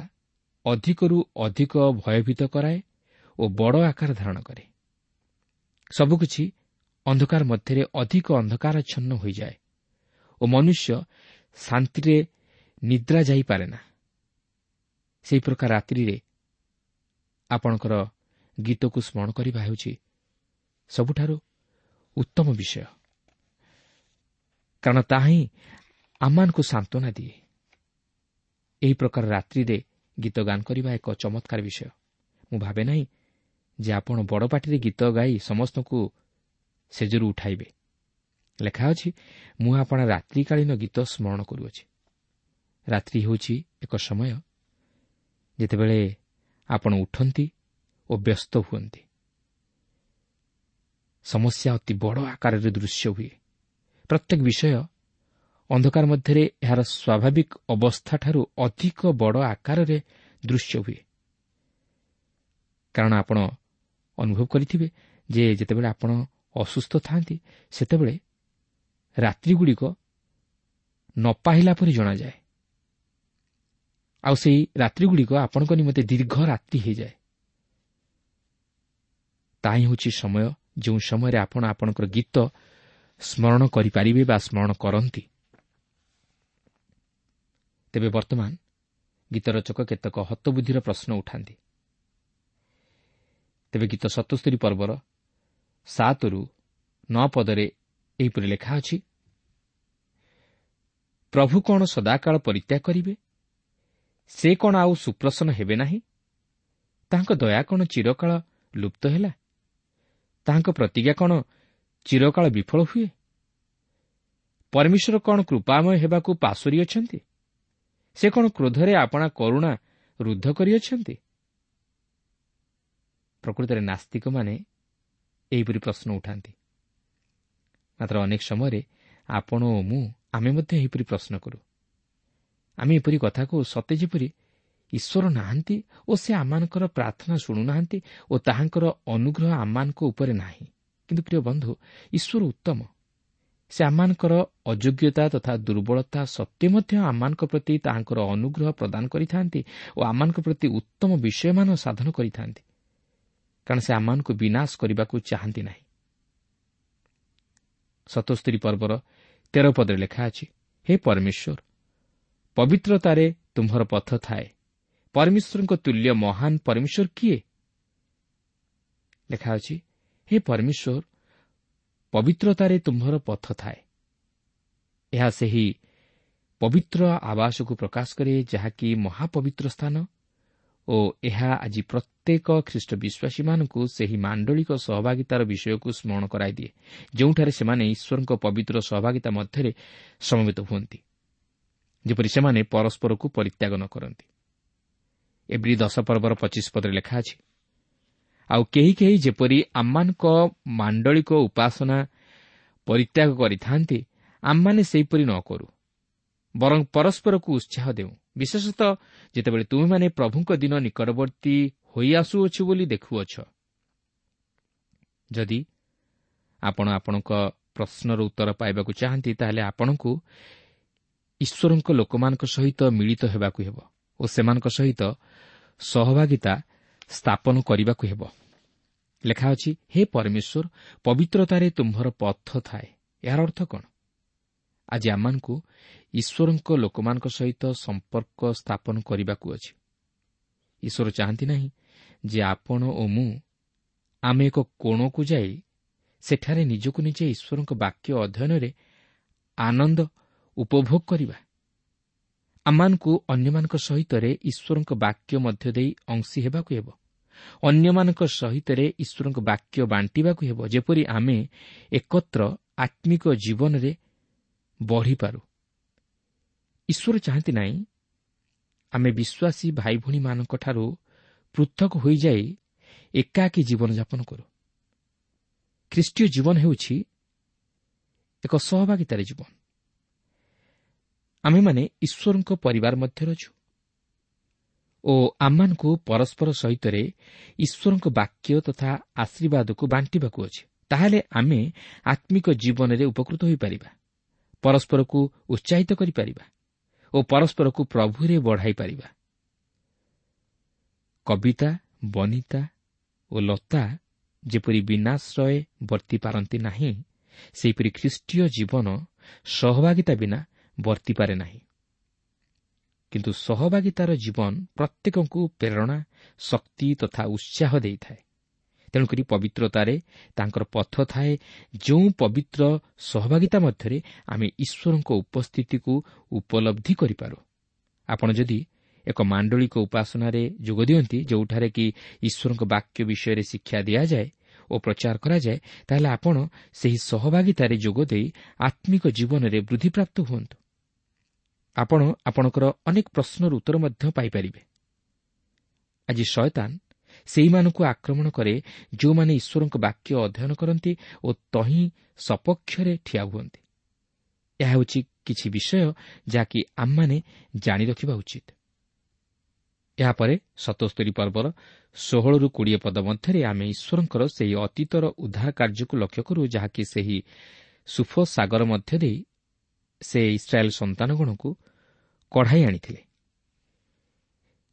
ଅଧିକରୁ ଅଧିକ ଭୟଭୀତ କରାଏ ଓ ବଡ଼ ଆକାର ଧାରଣ କରେ, ସବୁକିଛି ଅନ୍ଧକାର ମଧ୍ୟରେ ଅଧିକ ଅନ୍ଧକାରାଚ୍ଛନ୍ନ ହୋଇଯାଏ ଓ ମନୁଷ୍ୟ ଶାନ୍ତିରେ ନିଦ୍ରା ଯାଇପାରେ ନା। ସେହି ପ୍ରକାର ରାତ୍ରିରେ ଆପଣଙ୍କର ଗୀତକୁ ସ୍ମରଣ କରିବା ହେଉଛି ସବୁଠାରୁ ଉତ୍ତମ ବିଷୟ, କାରଣ ତାହା ହିଁ ଆମମାନଙ୍କୁ ସାନ୍ତ୍ୱନା ଦିଏ। ଏହି ପ୍ରକାର ରାତ୍ରିରେ ଗୀତ ଗାନ କରିବା ଏକ ଚମତ୍କାର ବିଷୟ। ମୁଁ ଭାବେ ନାହିଁ ଯେ ଆପଣ ବଡ଼ ପାଟିରେ ଗୀତ ଗାଇ ସମସ୍ତଙ୍କୁ ସେଜରୁ ଉଠାଇବେ। ଲେଖା ଅଛି, ମୁଁ ଆପଣା ରାତ୍ରିକାଳୀନ ଗୀତ ସ୍ମରଣ କରୁଅଛି। ରାତ୍ରି ହେଉଛି ଏକ ସମୟ ଯେତେବେଳେ ଆପଣ ଉଠନ୍ତି ଓ ବ୍ୟସ୍ତ ହୁଅନ୍ତି। ସମସ୍ୟା ଅତି ବଡ଼ ଆକାରରେ ଦୃଶ୍ୟ ହୁଏ। ପ୍ରତ୍ୟେକ ବିଷୟ ଅନ୍ଧକାର ମଧ୍ୟରେ ଏହାର ସ୍ୱାଭାବିକ ଅବସ୍ଥାଠାରୁ ଅଧିକ ବଡ଼ ଆକାରରେ ଦୃଶ୍ୟ ହୁଏ। କାରଣ ଆପଣ ଅନୁଭବ କରିଥିବେ ଯେ ଯେତେବେଳେ ଆପଣ ଅସୁସ୍ଥ ଥାଆନ୍ତି, ସେତେବେଳେ ରାତ୍ରିଗୁଡ଼ିକ ନ ପାହିଲା ପରି ଜଣାଯାଏ, ଆଉ ସେହି ରାତ୍ରିଗୁଡ଼ିକ ଆପଣଙ୍କ ନିମନ୍ତେ ଦୀର୍ଘ ରାତ୍ରି ହୋଇଯାଏ। ତାହା ହିଁ ହେଉଛି ସମୟ ଯେଉଁ ସମୟରେ ଆପଣ ଆପଣଙ୍କର ଗୀତ ସ୍ମରଣ କରିପାରିବେ ବା ସ୍ମରଣ କରନ୍ତି। ତେବେ ବର୍ତ୍ତମାନ ଗୀତ ରଚକ କେତେକ ହତବୁଦ୍ଧିର ପ୍ରଶ୍ନ ଉଠାନ୍ତି। ତେବେ ଗୀତ ସତସ୍ତରୀ ପର୍ବର ସାତରୁ ନଅ ପଦରେ ଏହିପରି ଲେଖା ଅଛି, ପ୍ରଭୁ କ'ଣ ସଦାକାଳ ପରିତ୍ୟାଗ କରିବେ? ସେ କ'ଣ ଆଉ ସୁପ୍ରସନ୍ନ ହେବେ ନାହିଁ? ତାହାଙ୍କ ଦୟା କ'ଣ ଚିରକାଳ ଲୁପ୍ତ ହେଲା? ତାହାଙ୍କ ପ୍ରତିଜ୍ଞା କ'ଣ ଚିରକାଳ ବିଫଳ ହୁଏ? ପରମେଶ୍ୱର କ'ଣ କୃପାମୟ ହେବାକୁ ପାଶୋରି ଅଛନ୍ତି? ସେ କ'ଣ କ୍ରୋଧରେ ଆପଣା କରୁଣା ରୁଦ୍ଧ କରିଅଛନ୍ତି? ପ୍ରକୃତରେ ନାସ୍ତିକମାନେ ଏହିପରି ପ୍ରଶ୍ନ ଉଠାନ୍ତି। ମାତ୍ର ଅନେକ ସମୟରେ ଆପଣ ଓ ମୁଁ ଆମେ ମଧ୍ୟ ଏହିପରି ପ୍ରଶ୍ନ କରୁ। ଆମେ ଏପରି କଥାକୁ ସତେ ଯେପରି ଈଶ୍ୱର ନାହାନ୍ତି ଓ ସେ ଆମମାନଙ୍କର ପ୍ରାର୍ଥନା ଶୁଣୁନାହାନ୍ତି ଓ ତାହାଙ୍କର ଅନୁଗ୍ରହ ଆମମାନଙ୍କ ଉପରେ ନାହିଁ। କିନ୍ତୁ ପ୍ରିୟ ବନ୍ଧୁ, ଈଶ୍ୱର ଉତ୍ତମ। ସେ ଆମମାନଙ୍କର ଅଯୋଗ୍ୟତା ତଥା ଦୁର୍ବଳତା ସତ୍ତ୍ୱେ ମଧ୍ୟ ଆମମାନଙ୍କ ପ୍ରତି ତାହାଙ୍କର ଅନୁଗ୍ରହ ପ୍ରଦାନ କରିଥାନ୍ତି ଓ ଆମମାନଙ୍କ ପ୍ରତି ଉତ୍ତମ ବିଷୟମାନ ସାଧନ କରିଥାନ୍ତି, କାରଣ ସେ ଆମମାନଙ୍କୁ ବିନାଶ କରିବାକୁ ଚାହାନ୍ତି ନାହିଁ। ସତସ୍ତରୀ ପର୍ବର ତେର ପଦରେ ଲେଖା ଅଛି, ହେ ପରମେଶ୍ୱର, ପବିତ୍ରତାରେ ତୁମ୍ଭର ପଥ ଥାଏ। ପରମେଶ୍ୱରଙ୍କ ତୁଲ୍ୟ ମହାନ ପରମେଶ୍ୱର କିଏ? ଲେଖା ଅଛି, ହେ ପରମେଶ୍ୱର, ପବିତ୍ରତାରେ ତୁମ୍ଭର ପଥ ଥାଏ। ଏହା ସେହି ପବିତ୍ର ଆବାସକୁ ପ୍ରକାଶ କରେ ଯାହାକି ମହାପବିତ୍ର ସ୍ଥାନ ଓ ଏହା ଆଜି ପ୍ରତ୍ୟେକ ଖ୍ରୀଷ୍ଟ ବିଶ୍ୱାସୀମାନଙ୍କୁ ସେହି ମାଣ୍ଡଳିକ ସହଭାଗିତାର ବିଷୟକୁ ସ୍ମରଣ କରାଇଦିଏ, ଯେଉଁଠାରେ ସେମାନେ ଈଶ୍ୱରଙ୍କ ପବିତ୍ର ସହଭାଗିତା ମଧ୍ୟରେ ସମବେତ ହୁଅନ୍ତି, ଯେପରି ସେମାନେ ପରସ୍ପରକୁ ପରିତ୍ୟାଗ ନ କରନ୍ତି। ଏବ୍ରୀ ଦଶ ପର୍ବର ପଚିଶ ପଦରେ ଲେଖା ଅଛି, ଆଉ କେହି କେହି ଯେପରି ଆମମାନଙ୍କ ମାଣ୍ଡଳିକ ଉପାସନା ପରିତ୍ୟାଗ କରିଥାନ୍ତି, ଆମମାନେ ସେହିପରି ନ କରୁ, ବରଂ ପରସ୍ପରକୁ ଉତ୍ସାହ ଦେଉ, ବିଶେଷତଃ ଯେତେବେଳେ ତୁମେମାନେ ପ୍ରଭୁଙ୍କ ଦିନ ନିକଟବର୍ତ୍ତୀ ହୋଇଆସୁଅଛି ବୋଲି ଦେଖୁଅଛ। ଯଦି ଆପଣ ଆପଣଙ୍କ ପ୍ରଶ୍ନର ଉତ୍ତର ପାଇବାକୁ ଚାହାନ୍ତି, ତାହେଲେ ଆପଣଙ୍କୁ ଈଶ୍ୱରଙ୍କ ଲୋକମାନଙ୍କ ସହିତ ମିଳିତ ହେବାକୁ ହେବ ଓ ସେମାନଙ୍କ ସହିତ ସହଭାଗିତା ସ୍ଥାପନ କରିବାକୁ ହେବ। ଲେଖା ଅଛି, ହେ ପରମେଶ୍ୱର, ପବିତ୍ରତାରେ ତୁମ୍ଭର ପଥ ଥାଏ। ଏହାର ଅର୍ଥ କ'ଣ? ଆଜି ଆମମାନଙ୍କୁ ଈଶ୍ୱରଙ୍କ ଲୋକମାନଙ୍କ ସହିତ ସମ୍ପର୍କ ସ୍ଥାପନ କରିବାକୁ ଅଛି। ଈଶ୍ୱର ଚାହାନ୍ତି ନାହିଁ ଯେ ଆପଣ ଓ ମୁଁ ଆମେ ଏକ କୋଣକୁ ଯାଇ ସେଠାରେ ନିଜକୁ ନିଜେ ଈଶ୍ୱରଙ୍କ ବାକ୍ୟ ଅଧ୍ୟୟନରେ ଆନନ୍ଦ ଉପଭୋଗ କରିବା। ଆମମାନଙ୍କୁ ଅନ୍ୟମାନଙ୍କ ସହିତରେ ଈଶ୍ୱରଙ୍କ ବାକ୍ୟ ମଧ୍ୟ ଦେଇ ଅଂଶୀ ହେବାକୁ ହେବ। ଅନ୍ୟମାନଙ୍କ ସହିତରେ ଈଶ୍ୱରଙ୍କ ବାକ୍ୟ ବାଣ୍ଟିବାକୁ ହେବ, ଯେପରି ଆମେ ଏକତ୍ର ଆତ୍ମିକ ଜୀବନରେ ବଢ଼ିପାରୁ। ଈଶ୍ୱର ଚାହାନ୍ତି ନାହିଁ ଆମେ ବିଶ୍ୱାସୀ ଭାଇ ଭଉଣୀମାନଙ୍କଠାରୁ ପୃଥକ ହୋଇଯାଇ ଏକାକୀ ଜୀବନଯାପନ କରୁ। ଖ୍ରୀଷ୍ଟୀୟ ଜୀବନ ହେଉଛି ଏକ ସହଭାଗିତାର ଜୀବନ। ଆମେମାନେ ଈଶ୍ୱରଙ୍କ ପରିବାର ମଧ୍ୟରେ ଅଛୁ ଓ ଆମମାନଙ୍କୁ ପରସ୍ପର ସହିତରେ ଈଶ୍ୱରଙ୍କ ବାକ୍ୟ ତଥା ଆଶୀର୍ବାଦକୁ ବାଣ୍ଟିବାକୁ ଅଛି। ତାହେଲେ ଆମେ ଆତ୍ମିକ ଜୀବନରେ ଉପକୃତ ହୋଇପାରିବା, ପରସ୍ପରକୁ ଉତ୍ସାହିତ କରିପାରିବା ଓ ପରସ୍ପରକୁ ପ୍ରଭୁରେ ବଢ଼ାଇ ପାରିବା। କବିତା, ବନିତା ଓ ଲତା ଯେପରି ବିନାଶ୍ରୟ ବର୍ତ୍ତି ପାରନ୍ତି ନାହିଁ, ସେହିପରି ଖ୍ରୀଷ୍ଟୀୟ ଜୀବନ ସହଭାଗିତା ବିନା ବର୍ତ୍ତିପାରେ ନାହିଁ। କିନ୍ତୁ ସହଭାଗିତାର ଜୀବନ ପ୍ରତ୍ୟେକଙ୍କୁ ପ୍ରେରଣା, ଶକ୍ତି ତଥା ଉତ୍ସାହ ଦେଇଥାଏ। ତେଣୁକରି ପବିତ୍ରତାରେ ତାଙ୍କର ପଥ ଥାଏ, ଯେଉଁ ପବିତ୍ର ସହଭାଗିତା ମଧ୍ୟରେ ଆମେ ଈଶ୍ୱରଙ୍କ ଉପସ୍ଥିତିକୁ ଉପଲବ୍ଧି କରିପାରୁ। ଆପଣ ଯଦି ଏକ ମାଣ୍ଡଳିକ ଉପାସନାରେ ଯୋଗ ଦିଅନ୍ତି, ଯେଉଁଠାରେ କି ଈଶ୍ୱରଙ୍କ ବାକ୍ୟ ବିଷୟରେ ଶିକ୍ଷା ଦିଆଯାଏ ଓ ପ୍ରଚାର କରାଯାଏ, ତାହେଲେ ଆପଣ ସେହି ସହଭାଗିତାରେ ଯୋଗ ଦେଇ ଆତ୍ମିକ ଜୀବନରେ ବୃଦ୍ଧିପ୍ରାପ୍ତ ହୁଅନ୍ତୁ। ଆପଣ ଆପଣଙ୍କର ଅନେକ ପ୍ରଶ୍ନର ଉତ୍ତର ମଧ୍ୟ ପାଇପାରିବେ। ଆଜି ଶୟତାନ ସେହିମାନଙ୍କୁ ଆକ୍ରମଣ କରେ ଯେଉଁମାନେ ଈଶ୍ୱରଙ୍କ ବାକ୍ୟ ଅଧ୍ୟୟନ କରନ୍ତି ଓ ତହିଁ ସପକ୍ଷରେ ଠିଆ ହୁଅନ୍ତି। ଏହା ହେଉଛି କିଛି ବିଷୟ ଯାହାକି ଆମମାନେ ଜାଣି ରଖିବା ଉଚିତ। ଏହାପରେ ସତସ୍ତରୀ ପର୍ବର ଷୋହଳରୁ କୋଡ଼ିଏ ପଦ ମଧ୍ୟରେ ଆମେ ଈଶ୍ୱରଙ୍କର ସେହି ଅତୀତର ଉଦ୍ଧାର କାର୍ଯ୍ୟକୁ ଲକ୍ଷ୍ୟ କରୁ, ଯାହାକି ସେହି ସୁଫ ସାଗର ମଧ୍ୟ ଦେଇ ସେ ଇସ୍ରାଏଲ୍ ସନ୍ତାନଗଣକୁ କଢ଼ାଇ ଆଣିଥିଲେ।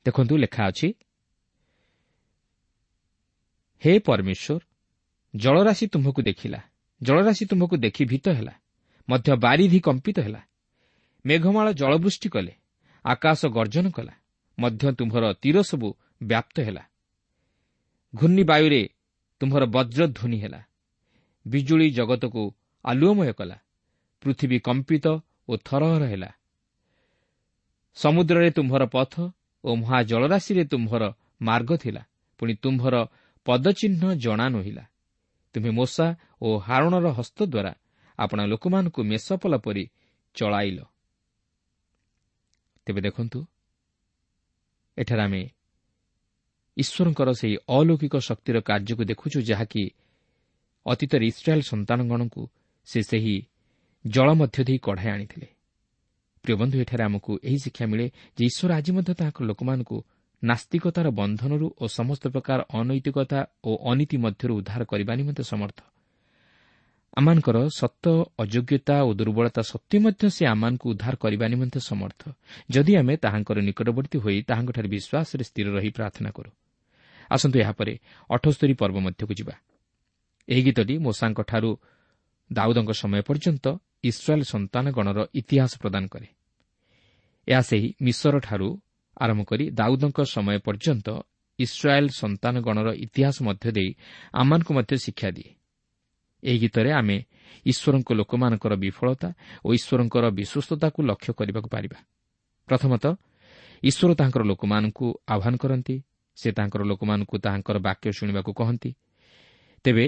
ଦେଖନ୍ତୁ, ଲେଖା ଅଛି, ହେ ପରମେଶ୍ୱର, ଜଳରାଶି ତୁମ୍ଭକୁ ଦେଖିଲା, ଜଳରାଶି ତୁମ୍ଭକୁ ଦେଖି ଭୀତ ହେଲା, ମଧ୍ୟ ବାରିଧି କମ୍ପିତ ହେଲା। ମେଘମାଳ ଜଳବୃଷ୍ଟି କଲେ, ଆକାଶ ଗର୍ଜନ କଲା, ମଧ୍ୟ ତୁମ୍ଭର ତୀର ସବୁ ବ୍ୟାପ୍ତ ହେଲା। ଘୂର୍ଣ୍ଣିବାୟୁରେ ତୁମ୍ଭର ବଜ୍ରଧ୍ୱନି ହେଲା, ବିଜୁଳି ଜଗତକୁ ଆଲୁଅମୟ କଲା, ପୃଥିବୀ କମ୍ପିତ ଓ ଥରହର ହେଲା। ସମୁଦ୍ରରେ ତୁମ୍ଭର ପଥ ଓ ମହାଜଳରାଶିରେ ତୁମ୍ଭର ମାର୍ଗ ଥିଲା, ପୁଣି ତୁମ୍ଭର ପଦଚିହ୍ନ ଜଣା ନୋହିଲା। ତୁମେ ମୋଶା ଓ ହାରୋଣର ହସ୍ତ ଦ୍ୱାରା ଆପଣା ଲୋକମାନଙ୍କୁ ମେଷପଲ ପରି ଚଳାଇଲ। ତେବେ ଦେଖନ୍ତୁ, ଏଠାରେ ଆମେ ଈଶ୍ୱରଙ୍କର ସେହି ଅଲୌକିକ ଶକ୍ତିର କାର୍ଯ୍ୟକୁ ଦେଖୁଛୁ, ଯାହାକି ଅତୀତରେ ଇସ୍ରାଏଲ୍ ସନ୍ତାନଗଣଙ୍କୁ ସେ ସେହି ଜଳ ମଧ୍ୟ ଦେଇ କଢ଼ାଇ ଆଣିଥିଲେ। ପ୍ରିୟ ବନ୍ଧୁ, ଏଠାରେ ଆମକୁ ଏହି ଶିକ୍ଷା ମିଳେ ଯେ ଈଶ୍ୱର ଆଜି ମଧ୍ୟ ତାଙ୍କ ଲୋକମାନଙ୍କୁ ନାସ୍ତିକତାର ବନ୍ଧନରୁ ଓ ସମସ୍ତ ପ୍ରକାର ଅନୈତିକତା ଓ ଅନୀତି ମଧ୍ୟରୁ ଉଦ୍ଧାର କରିବା ନିମନ୍ତେ ସମର୍ଥ। ଆମମାନଙ୍କର ସତ ଅଯୋଗ୍ୟତା ଓ ଦୁର୍ବଳତା ସତ୍ତ୍ୱେ ମଧ୍ୟ ସେ ଆମମାନଙ୍କୁ ଉଦ୍ଧାର କରିବା ନିମନ୍ତେ ସମର୍ଥ, ଯଦି ଆମେ ତାହାଙ୍କର ନିକଟବର୍ତ୍ତୀ ହୋଇ ତାହାଙ୍କଠାରେ ବିଶ୍ୱାସରେ ସ୍ଥିର ରହି ପ୍ରାର୍ଥନା କରୁ। ଆସନ୍ତୁ ଏହାପରେ ଅଠସ୍ତରୀ ପର୍ବ ମଧ୍ୟକୁ ଯିବା। ଏହି ଗୀତଟି ମୋଶାଙ୍କଠାରୁ ଦାଉଦଙ୍କ ସମୟ ପର୍ଯ୍ୟନ୍ତ ଇସ୍ରାଏଲ୍ ସନ୍ତାନଗଣର ଇତିହାସ ପ୍ରଦାନ କରେ। ଏହା ସେହି ମିଶରଠାରୁ ଆରମ୍ଭ କରି ଦାଉଦଙ୍କ ସମୟ ପର୍ଯ୍ୟନ୍ତ ଇସ୍ରାଏଲ୍ ସନ୍ତାନଗଣର ଇତିହାସ ମଧ୍ୟ ଦେଇ ଆମମାନଙ୍କୁ ମଧ୍ୟ ଶିକ୍ଷା ଦିଏ। ଏହି ଗୀତରେ ଆମେ ଈଶ୍ୱରଙ୍କ ଲୋକମାନଙ୍କର ବିଫଳତା ଓ ଈଶ୍ୱରଙ୍କର ବିଶ୍ୱସ୍ତତାକୁ ଲକ୍ଷ୍ୟ କରିବାକୁ ପାରିବା। ପ୍ରଥମତଃ, ଈଶ୍ୱର ତାଙ୍କର ଲୋକମାନଙ୍କୁ ଆହ୍ୱାନ କରନ୍ତି। ସେ ତାଙ୍କର ଲୋକମାନଙ୍କୁ ତାହାଙ୍କର ବାକ୍ୟ ଶୁଣିବାକୁ କହନ୍ତି। ତେବେ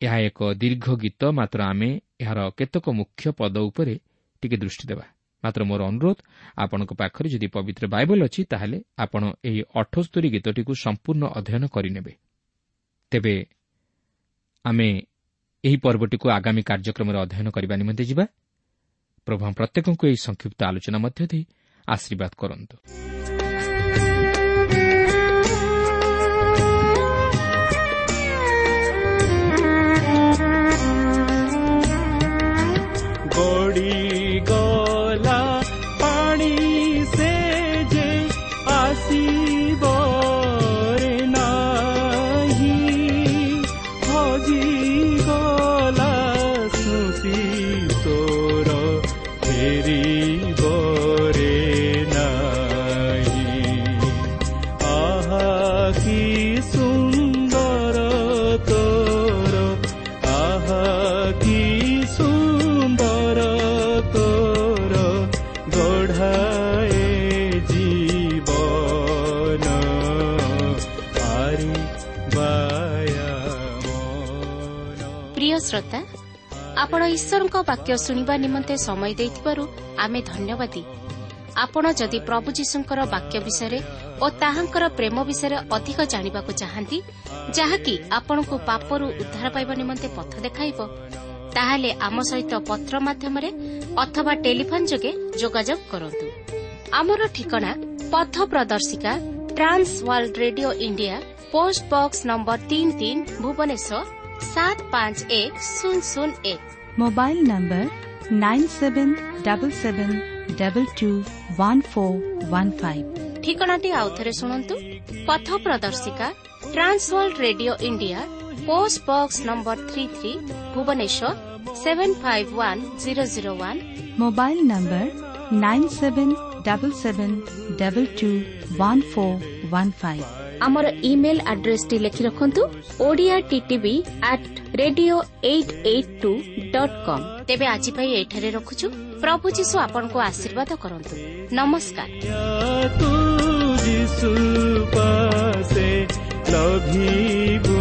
ଏହା ଏକ ଦୀର୍ଘ ଗୀତ, ମାତ୍ର ଆମେ ଏହାର କେତେକ ମୁଖ୍ୟ ପଦ ଉପରେ ଟିକେ ଦୃଷ୍ଟି ଦେବା। ମାତ୍ର ମୋର ଅନୁରୋଧ, ଆପଣଙ୍କ ପାଖରେ ଯଦି ପବିତ୍ର ବାଇବଲ ଅଛି, ତାହେଲେ ଆପଣ ଏହି ଅଠସ୍ତରୀ ଗୀତଟିକୁ ସମ୍ପୂର୍ଣ୍ଣ ଅଧ୍ୟୟନ କରିନେବେ। ତେବେ ଆମେ ଏହି ପର୍ବଟିକୁ ଆଗାମୀ କାର୍ଯ୍ୟକ୍ରମରେ ଅଧ୍ୟୟନ କରିବା ନିମନ୍ତେ ଯିବା। ପ୍ରଭୁ ପ୍ରତ୍ୟେକଙ୍କୁ ଏହି ସଂକ୍ଷିପ୍ତ ଆଲୋଚନା ମଧ୍ୟ ଦେଇ ଆଶୀର୍ବାଦ କରନ୍ତୁ। ଗଡ଼ିଗଲା ପାଣି ସେ ଯେ ଆସିବ ରେ ନାହିଁ, ହଜିଗଲା ସ୍ମୃତି ତୋର ଫେରିବ ରେ ନାହିଁ। ଆହା କି ସୁନ୍ଦର ତୋର, ଆହା କି ସୁନ୍ଦର ତୋର ଗଢ଼ାଏ ଜୀବନ ଆରି ବାୟା ମନ। ପ୍ରିୟ ଶ୍ରୋତା, ଆପଣ ଈଶ୍ୱରଙ୍କ ବାକ୍ୟ ଶୁଣିବା ନିମନ୍ତେ ସମୟ ଦେଇଥିବାରୁ ଆମେ ଧନ୍ୟବାଦୀ। ଆପଣ ଯଦି ପ୍ରଭୁ ଯୀଶୁଙ୍କର ବାକ୍ୟ ବିଷୟରେ ଓ ତାହାଙ୍କର ପ୍ରେମ ବିଷୟରେ ଅଧିକ ଜାଣିବାକୁ ଚାହାନ୍ତି, ଯାହାକି ଆପଣଙ୍କୁ ପାପରୁ ଉଦ୍ଧାର ପାଇବା ନିମନ୍ତେ ପଥ ଦେଖାଇବ, ତାହେଲେ ଆମ ସହିତ ପତ୍ର ମାଧ୍ୟମରେ ଅଥବା ଟେଲିଫୋନ୍ ଯୋଗେ ଯୋଗାଯୋଗ କରନ୍ତୁ। ଆମର ଠିକଣା ପଥ ପ୍ରଦର୍ଶିକା, trans world radio India, post box number ତିନି ତିନି, ଭୁବନେଶ୍ୱର ସାତ ପାଞ୍ଚ ଏକ ଶୂନ ଶୂନ ଏକ। Mobile number nine seven double seven double two one four one five. ଠିକଣାଟି ଆଉଥରେ ଶୁଣନ୍ତୁ। ପଥ ପ୍ରଦର୍ଶିକା, trans world radio India, post box number three three, Bhubaneswar seven five one zero zero one. Mobile number nine seven double seven double two one four one five. ଆମର email ଆଡ୍ରେସଟି ଲେଖି ରଖନ୍ତୁ, Odia TTV at radio eight eight two dot com. ତେବେ ଆଜି ପାଇଁ ଏଠାରେ ରଖୁଛୁ। ପ୍ରଭୁ ଯୀଶୁ ଆପଣଙ୍କୁ ଆଶୀର୍ବାଦ କରନ୍ତୁ। ନମସ୍କାର। ତୁ ଯୀଶୁ ପାସେ ଲଭିବୁ।